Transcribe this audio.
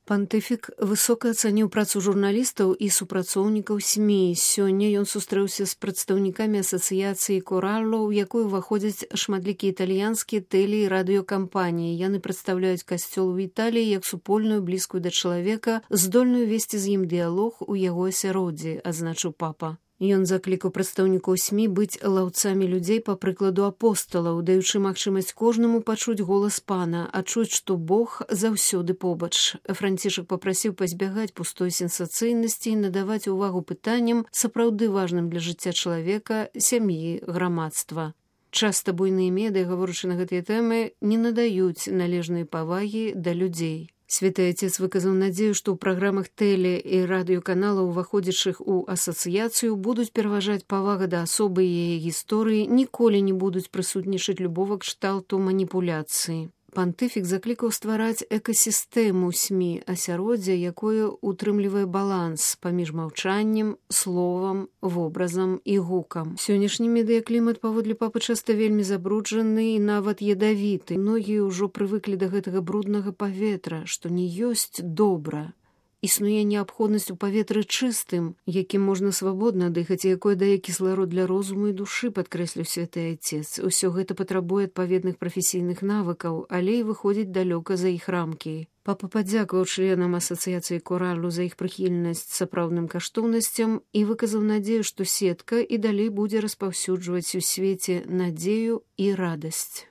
Пантыфік высока ацаніў працу журналістаў і супрацоўнікаў СМІ. Сёння ён сустрэўся з прадстаўнікамі асацыяцыі «Коралло», у якую ўваходзяць шматлікія італьянскія тэле- і радыёкампаніі. Яны прадстаўляюць касцёл у Італіі як супольную, блізкую да чалавека, здольную весці з ім дыялог у яго асяроддзі, адзначыў папа. Ён заклікаў прадстаўнікоў СМІ быць лаўцамі людзей па прыкладу апосталаў, даючы магчымасць кожнаму пачуць голас пана, адчуць, што Бог заўсёды побач. Францішак папрасіў пазбягаць пустой сенсацыйнасці і надаваць увагу пытанням, сапраўды важным для жыцця чалавека, сям'і, грамадства. Часта буйныя медыа, гаворачы на гэтыя тэмы, не надаюць належнай павагі да людзей. Святы Отец выказаў надзею, што ў праграмах тэле- і радыёканалаў, уваходзячых у асацыяцыю, будуць пераважаць павага да асобы і яе гісторыі, ніколі не будуць прысутнічаць любога кшталту маніпуляцыі. Пантыфік заклікаў ствараць экасістэму СМІ, асяроддзе, якое утрымлівае баланс паміж маўчаннем, словам, вобразам і гукам. Сённяшні медыяклімат, паводле папы, часта вельмі забруджаны і нават ядавіты. Многія ўжо прывыклі да гэтага бруднага паветра, што не ёсць добра. Існуе неабходнасць у паветры чыстым, якім можна свабодна дыхаць, і якое дае кісларод для розуму і душы, падкрэсліў святы Отец. Усё гэта патрабуе адпаведных прафесійных навыкаў, але і выходзіць далёка за іх рамкі. Папа падзякаваў членам асацыяцыі «Коралло» за іх прыхільнасць сапраўдным каштоўнасцям і выказаў надзею, што сетка і далей будзе распаўсюджваць у свеце надзею і радасць.